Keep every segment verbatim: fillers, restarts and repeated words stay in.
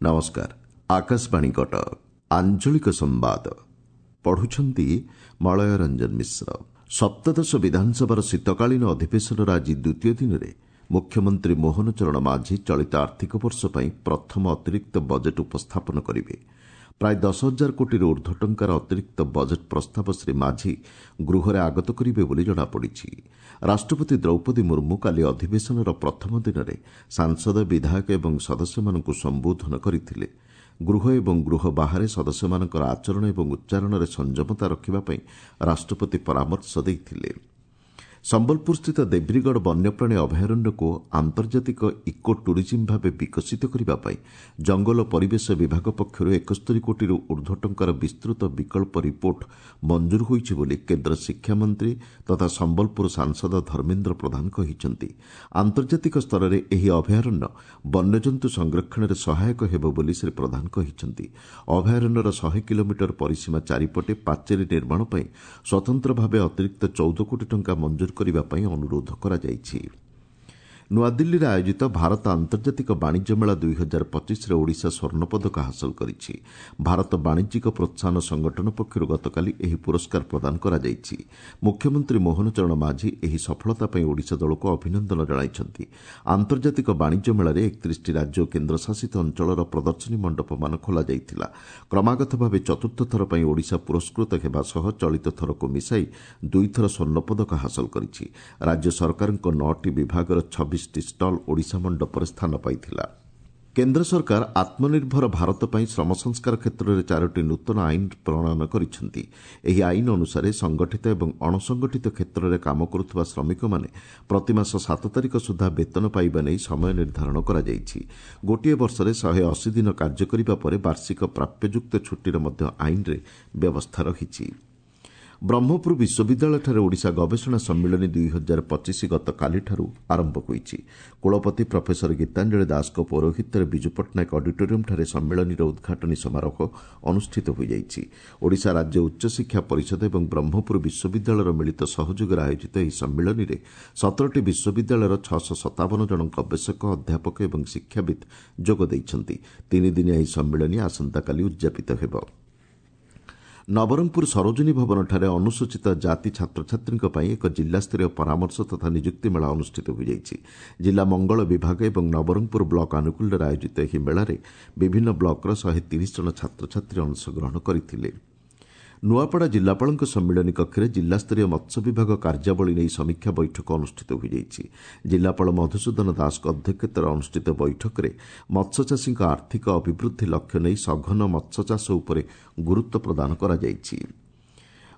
ନମସ୍କାର, ଆକାଶବାଣୀ କଟକ, ଆଞ୍ଚଳିକ ସମ୍ବାଦ ପଢୁଛନ୍ତି ମଳୟ ରଞ୍ଜନ ମିଶ୍ର। ସପ୍ତଦଶ ବିଧାନସଭାର ଶୀତକାଳୀନ ଅଧିବେଶନର ଆଜି ଦ୍ୱିତୀୟ ଦିନରେ ମୁଖ୍ୟମନ୍ତ୍ରୀ ମୋହନ ଚରଣ ମାଝୀ ଚଳିତ ଆର୍ଥିକ ବର୍ଷ ପାଇଁ ପ୍ରଥମ ଅତିରିକ୍ତ ବଜେଟ୍ ଉପସ୍ଥାପନ କରିବେ। ପ୍ରାୟ ଦଶ ହଜାର କୋଟିରୁ ଉର୍ଦ୍ଧ୍ୱ ଟଙ୍କାର ଅତିରିକ୍ତ ବଜେଟ୍ ପ୍ରସ୍ତାବ ଶ୍ରୀ ମାଝୀ ଗୃହରେ ଆଗତ କରିବେ ବୋଲି ଜଣାପଡ଼ିଛି। ରାଷ୍ଟ୍ରପତି ଦ୍ରୌପଦୀ ମୁର୍ମୁ କାଲି ଅଧିବେଶନର ପ୍ରଥମ ଦିନରେ ସାଂସଦ, ବିଧାୟକ ଏବଂ ସଦସ୍ୟମାନଙ୍କୁ ସମ୍ବୋଧନ କରିଥିଲେ। ଗୃହ ଏବଂ ଗୃହ ବାହାରେ ସଦସ୍ୟମାନଙ୍କର ଆଚରଣ ଏବଂ ଉଚ୍ଚାରଣରେ ସଂଯମତା ରଖିବା ପାଇଁ ରାଷ୍ଟ୍ରପତି ପରାମର୍ଶ ଦେଇଥିଲେ। ସମ୍ବଲପୁରସ୍ଥିତ ଦେବ୍ରିଗଡ଼ ବନ୍ୟପ୍ରାଣୀ ଅଭୟାରଣ୍ୟକୁ ଆନ୍ତର୍ଜାତିକ ଇକୋ ଟୁରିଜିମ୍ ଭାବେ ବିକଶିତ କରିବା ପାଇଁ ଜଙ୍ଗଲ ଓ ପରିବେଶ ବିଭାଗ ପକ୍ଷରୁ ଏକସ୍ତରୀ କୋଟିରୁ ଉର୍ଦ୍ଧ୍ୱ ଟଙ୍କାର ବିସ୍ତୃତ ବିକଳ୍ପ ରିପୋର୍ଟ ମଞ୍ଜୁର ହୋଇଛି ବୋଲି କେନ୍ଦ୍ର ଶିକ୍ଷାମନ୍ତ୍ରୀ ତଥା ସମ୍ବଲପୁର ସାଂସଦ ଧର୍ମେନ୍ଦ୍ର ପ୍ରଧାନ କହିଛନ୍ତି। ଆନ୍ତର୍ଜାତିକ ସ୍ତରରେ ଏହି ଅଭୟାରଣ୍ୟ ବନ୍ୟଜନ୍ତୁ ସଂରକ୍ଷଣରେ ସହାୟକ ହେବ ବୋଲି ଶ୍ରୀ ପ୍ରଧାନ କହିଛନ୍ତି। ଅଭୟାରଣ୍ୟର ଶହେ କିଲୋମିଟର ପରିସୀମା ଚାରିପଟେ ପାଚେରୀ ନିର୍ମାଣ ପାଇଁ ସ୍ୱତନ୍ତ୍ର ଭାବେ ଅତିରିକ୍ତ ଚଉଦ କୋଟି ଟଙ୍କା ମଞ୍ଜୁର କରିବା ପାଇଁ ଅନୁରୋଧ କରାଯାଇଛି। ନୂଆଦିଲ୍ଲୀରେ ଆୟୋଜିତ ଭାରତ ଆନ୍ତର୍ଜାତିକ ବାଣିଜ୍ୟ ମେଳା ଦୁଇ ହଜାର ପଚିଶରେ ଓଡ଼ିଶା ସ୍ୱର୍ଣ୍ଣପଦକ ହାସଲ କରିଛି। ଭାରତ ବାଣିଜ୍ୟିକ ପ୍ରୋତ୍ସାହନ ସଂଗଠନ ପକ୍ଷରୁ ଗତକାଲି ଏହି ପୁରସ୍କାର ପ୍ରଦାନ କରାଯାଇଛି। ମୁଖ୍ୟମନ୍ତ୍ରୀ ମୋହନ ଚରଣ ମାଝୀ ଏହି ସଫଳତା ପାଇଁ ଓଡ଼ିଶା ଦଳକୁ ଅଭିନନ୍ଦନ ଜଣାଇଛନ୍ତି। ଆନ୍ତର୍ଜାତିକ ବାଣିଜ୍ୟ ମେଳାରେ ଏକତିରିଶଟି ରାଜ୍ୟ ଓ କେନ୍ଦ୍ରଶାସିତ ଅଞ୍ଚଳର ପ୍ରଦର୍ଶନୀ ମଣ୍ଡପମାନ ଖୋଲାଯାଇଥିଲା। କ୍ରମାଗତ ଭାବେ ଚତୁର୍ଥ ଥର ପାଇଁ ଓଡ଼ିଶା ପୁରସ୍କୃତ ହେବା ସହ ଚଳିତ ଥରକୁ ମିଶାଇ ଦୁଇଥର ସ୍ୱର୍ଣ୍ଣପଦକ ହାସଲ କରିଛି। ରାଜ୍ୟ ସରକାରଙ୍କ ନଅଟି ବିଭାଗର ଛବିଶ ଷ୍ଟଲ୍ ଓଡ଼ିଶା ମଣ୍ଡପରେ ସ୍ଥାନ ପାଇଥିଲା। କେନ୍ଦ୍ର ସରକାର ଆତ୍ମନିର୍ଭର ଭାରତ ପାଇଁ ଶ୍ରମ ସଂସ୍କାର କ୍ଷେତ୍ରରେ ଚାରୋଟି ନୂତନ ଆଇନ ପ୍ରଣୟନ କରିଛନ୍ତି। ଏହି ଆଇନ ଅନୁସାରେ ସଂଗଠିତ ଏବଂ ଅଣସଂଗଠିତ କ୍ଷେତ୍ରରେ କାମ କରୁଥିବା ଶ୍ରମିକମାନେ ପ୍ରତିମାସ ସାତ ତାରିଖ ସୁଦ୍ଧା ବେତନ ପାଇବା ନେଇ ସମୟ ନିର୍ଦ୍ଧାରଣ କରାଯାଇଛି। ଗୋଟିଏ ବର୍ଷରେ ଶହେ ଅଶୀ ଦିନ କାର୍ଯ୍ୟ କରିବା ପରେ ବାର୍ଷିକ ପ୍ରାପ୍ୟଯୁକ୍ତ ଛୁଟିର ମଧ୍ୟ ଆଇନରେ ବ୍ୟବସ୍ଥା ରହିଛି। ବ୍ରହ୍ମପୁର ବିଶ୍ୱବିଦ୍ୟାଳୟଠାରେ ଓଡ଼ିଶା ଗବେଷଣା ସମ୍ମିଳନୀ ଦୁଇ ହଜାର ପଚିଶ ଗତକାଲିଠାରୁ ଆରମ୍ଭ ହୋଇଛି। କୁଳପତି ପ୍ରଫେସର ଗୀତାଞ୍ଜଳି ଦାସଙ୍କ ପୌରୋହିତ୍ୟରେ ବିଜୁ ପଟ୍ଟନାୟକ ଅଡିଟୋରିୟମଠାରେ ସମ୍ମିଳନୀର ଉଦ୍ଘାଟନୀ ସମାରୋହ ଅନୁଷ୍ଠିତ ହୋଇଯାଇଛି। ଓଡ଼ିଶା ରାଜ୍ୟ ଉଚ୍ଚଶିକ୍ଷା ପରିଷଦ ଏବଂ ବ୍ରହ୍ମପୁର ବିଶ୍ୱବିଦ୍ୟାଳୟର ମିଳିତ ସହଯୋଗରେ ଆୟୋଜିତ ଏହି ସମ୍ମିଳନୀରେ ସତରଟି ବିଶ୍ୱବିଦ୍ୟାଳୟର ଛଅଶହ ସତାବନ ଜଣ ଗବେଷକ, ଅଧ୍ୟାପକ ଏବଂ ଶିକ୍ଷାବିତ୍ ଯୋଗ ଦେଇଛନ୍ତି। ତିନିଦିନିଆ ଏହି ସମ୍ମିଳନୀ ଆସନ୍ତାକାଲି ଉଦ୍ଯାପିତ ହେବ। ନବରଙ୍ଗପୁର ସରୋଜିନୀ ଭବନଠାରେ ଅନୁସୂଚିତ ଜାତି ଛାତ୍ରଛାତ୍ରୀଙ୍କ ପାଇଁ ଏକ ଜିଲ୍ଲାସ୍ତରୀୟ ପରାମର୍ଶ ତଥା ନିଯୁକ୍ତି ମେଳା ଅନୁଷ୍ଠିତ ହୋଇଯାଇଛି। ଜିଲ୍ଲା ମଙ୍ଗଳ ବିଭାଗ ଏବଂ ନବରଙ୍ଗପୁର ବ୍ଲକ ଆନୁକୂଲ୍ୟରେ ଆୟୋଜିତ ଏହି ମେଳାରେ ବିଭିନ୍ନ ବ୍ଲକର ଶହେ ତିରିଶ ଜଣ ଛାତ୍ରଛାତ୍ରୀ ଅଂଶଗ୍ରହଣ କରିଥିଲେ। ନୂଆପଡ଼ା ଜିଲ୍ଲାପାଳଙ୍କ ସମ୍ମିଳନୀ କକ୍ଷରେ ଜିଲ୍ଲାସ୍ତରୀୟ ମତ୍ସ୍ୟ ବିଭାଗ କାର୍ଯ୍ୟାବଳୀ ନେଇ ସମୀକ୍ଷା ବୈଠକ ଅନୁଷ୍ଠିତ ହୋଇଯାଇଛି। ଜିଲ୍ଲାପାଳ ମଧୁସୂଦନ ଦାସଙ୍କ ଅଧ୍ୟକ୍ଷତାରେ ଅନୁଷ୍ଠିତ ବୈଠକରେ ମତ୍ସ୍ୟଚାଷୀଙ୍କ ଆର୍ଥିକ ଅଭିବୃଦ୍ଧି ଲକ୍ଷ୍ୟ ନେଇ ସଘନ ମତ୍ସ୍ୟଚାଷ ଉପରେ ଗୁରୁତ୍ୱ ପ୍ରଦାନ କରାଯାଇଛି।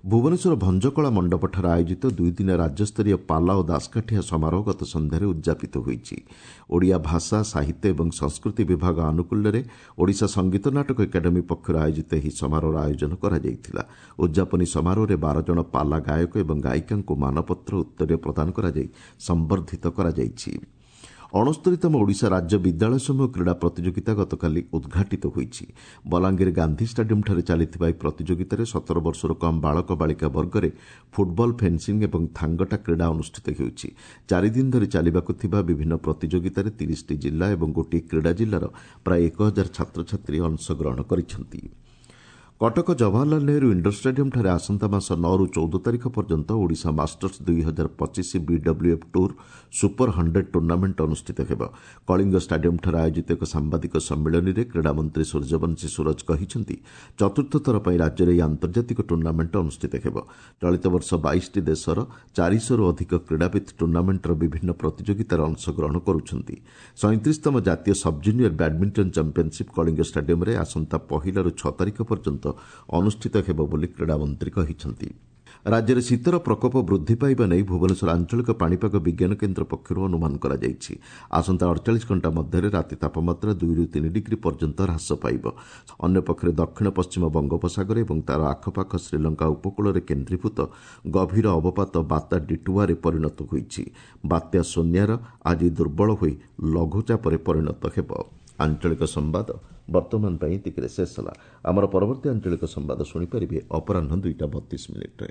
ଭୁବନେଶ୍ୱର ଭଞ୍ଜକଳା ମଣ୍ଡପଠାରେ ଆୟୋଜିତ ଦୁଇଦିନିଆ ରାଜ୍ୟସ୍ତରୀୟ ପାଲା ଓ ଦାସକାଠିଆ ସମାରୋହ ଗତ ସନ୍ଧ୍ୟାରେ ଉଦ୍ଯାପିତ ହୋଇଛି। ଓଡ଼ିଆ ଭାଷା, ସାହିତ୍ୟ ଏବଂ ସଂସ୍କୃତି ବିଭାଗ ଆନୁକୂଲ୍ୟରେ ଓଡ଼ିଶା ସଙ୍ଗୀତ ନାଟକ ଏକାଡେମୀ ପକ୍ଷରୁ ଆୟୋଜିତ ଏହି ସମାରୋହର ଆୟୋଜନ କରାଯାଇଥିଲା। ଉଦ୍ଯାପନୀ ସମାରୋହରେ ବାର ଜଣ ପାଲା ଗାୟକ ଏବଂ ଗାୟିକାଙ୍କୁ ମାନପତ୍ର, ଉତ୍ତରୀୟ ପ୍ରଦାନ କରାଯାଇ ସମ୍ବର୍ଦ୍ଧିତ କରାଯାଇଛି। ଅଣସ୍ତରୀତମ ଓଡ଼ିଶା ରାଜ୍ୟ ବିଦ୍ୟାଳୟ ସମୂହ କ୍ରୀଡ଼ା ପ୍ରତିଯୋଗିତା ଗତକାଲି ଉଦ୍ଘାଟିତ ହୋଇଛି। ବଲାଙ୍ଗୀର ଗାନ୍ଧୀ ଷ୍ଟାଡିୟମଠାରେ ଚାଲିଥିବା ଏହି ପ୍ରତିଯୋଗିତାରେ ସତର ବର୍ଷରୁ କମ୍ ବାଳକ ବାଳିକା ବର୍ଗରେ ଫୁଟବଲ, ଫେନ୍ସିଂ ଏବଂ ଥାଙ୍ଗଟା କ୍ରୀଡ଼ା ଅନୁଷ୍ଠିତ ହେଉଛି। ଚାରିଦିନ ଧରି ଚାଲିବାକୁ ଥିବା ବିଭିନ୍ନ ପ୍ରତିଯୋଗିତାରେ ତିରିଶଟି ଜିଲ୍ଲା ଏବଂ ଗୋଟିଏ କ୍ରୀଡ଼ା ଜିଲ୍ଲାର ପ୍ରାୟ ଏକ ହଜାର ଛାତ୍ରଛାତ୍ରୀ ଅଂଶଗ୍ରହଣ କରିଛନ୍ତି। କଟକ ଜବାହରଲାଲ ନେହେରୁ ଇଣ୍ଡୋର ଷ୍ଟାଡିୟମଠାରେ ଆସନ୍ତା ମାସ ନଅରୁ ଚଉଦ ତାରିଖ ପର୍ଯ୍ୟନ୍ତ ଓଡ଼ିଶା ମାଷ୍ଟର୍ସ ଦୁଇ ହଜାର ପଚିଶ BWF tour super hundred tournament ଅନୁଷ୍ଠିତ ହେବ। କଳିଙ୍ଗ ଷ୍ଟାଡିୟମଠାରେ ଆୟୋଜିତ ଏକ ସାମ୍ବାଦିକ ସମ୍ମିଳନୀରେ କ୍ରୀଡ଼ାମନ୍ତ୍ରୀ ସୂର୍ଯ୍ୟବଂଶୀ ସୂରଜ କହିଛନ୍ତି, ଚତୁର୍ଥ ଥର ପାଇଁ ରାଜ୍ୟରେ ଏହି ଆନ୍ତର୍ଜାତିକ ଟୁର୍ଣ୍ଣାମେଣ୍ଟ ଅନୁଷ୍ଠିତ ହେବ। ଚଳିତ ବର୍ଷ ବାଇଶଟି ଦେଶର ଚାରିଶହରୁ ଅଧିକ କ୍ରୀଡ଼ାବିତ୍ ଟୁର୍ଣ୍ଣାମେଣ୍ଟର ବିଭିନ୍ନ ପ୍ରତିଯୋଗିତାରେ ଅଂଶଗ୍ରହଣ କରୁଛନ୍ତି। ସଇଁତିରିଶତମ ଜାତୀୟ ସବ୍ଜୁନିୟର ବ୍ୟାଡମିଣ୍ଟନ ଚାମ୍ପିୟନସିପ୍ କଳିଙ୍ଗ ଷ୍ଟାଡିୟମରେ ଆସନ୍ତା ପହିଲାରୁ ଛଅ ତାରିଖ ପର୍ଯ୍ୟନ୍ତ ଅନୁଷ୍ଠିତ ହେବ ବୋଲି କ୍ରୀଡ଼ାମନ୍ତ୍ରୀ କହିଛନ୍ତି। ରାଜ୍ୟରେ ଶୀତର ପ୍ରକୋପ ବୃଦ୍ଧି ପାଇବା ନେଇ ଭୁବନେଶ୍ୱର ଆଞ୍ଚଳିକ ପାଣିପାଗ ବିଜ୍ଞାନ କେନ୍ଦ୍ର ପକ୍ଷରୁ ଅନୁମାନ କରାଯାଇଛି। ଆସନ୍ତା ଅଡ଼ଚାଳିଶ ଘଣ୍ଟା ମଧ୍ୟରେ ରାତି ତାପମାତ୍ରା ଦୁଇରୁ ତିନି ଡିଗ୍ରୀ ପର୍ଯ୍ୟନ୍ତ ହ୍ରାସ ପାଇବ। ଅନ୍ୟପକ୍ଷରେ ଦକ୍ଷିଣ ପଶ୍ଚିମ ବଙ୍ଗୋପସାଗର ଏବଂ ତା'ର ଆଖପାଖ ଶ୍ରୀଲଙ୍କା ଉପକୂଳରେ କେନ୍ଦ୍ରୀଭୂତ ଗଭୀର ଅବପାତ ବାତ୍ୟା ଡିଟୁଆରେ ପରିଣତ ହୋଇଛି। ବାତ୍ୟା ସୋନିଆର ଆଜି ଦୁର୍ବଳ ହୋଇ ଲଘୁଚାପରେ ପରିଣତ ହେବ। ଆଞ୍ଚଳିକ ସମ୍ବାଦ ବର୍ତ୍ତମାନ ପାଇଁ ଏତିକିରେ ଶେଷ ହେଲା। ଆମର ପରବର୍ତ୍ତୀ ଆଞ୍ଚଳିକ ସମ୍ବାଦ ଶୁଣିପାରିବେ ଅପରାହ୍ନ ଦୁଇଟା ବତିଶ ମିନିଟ୍ରେ।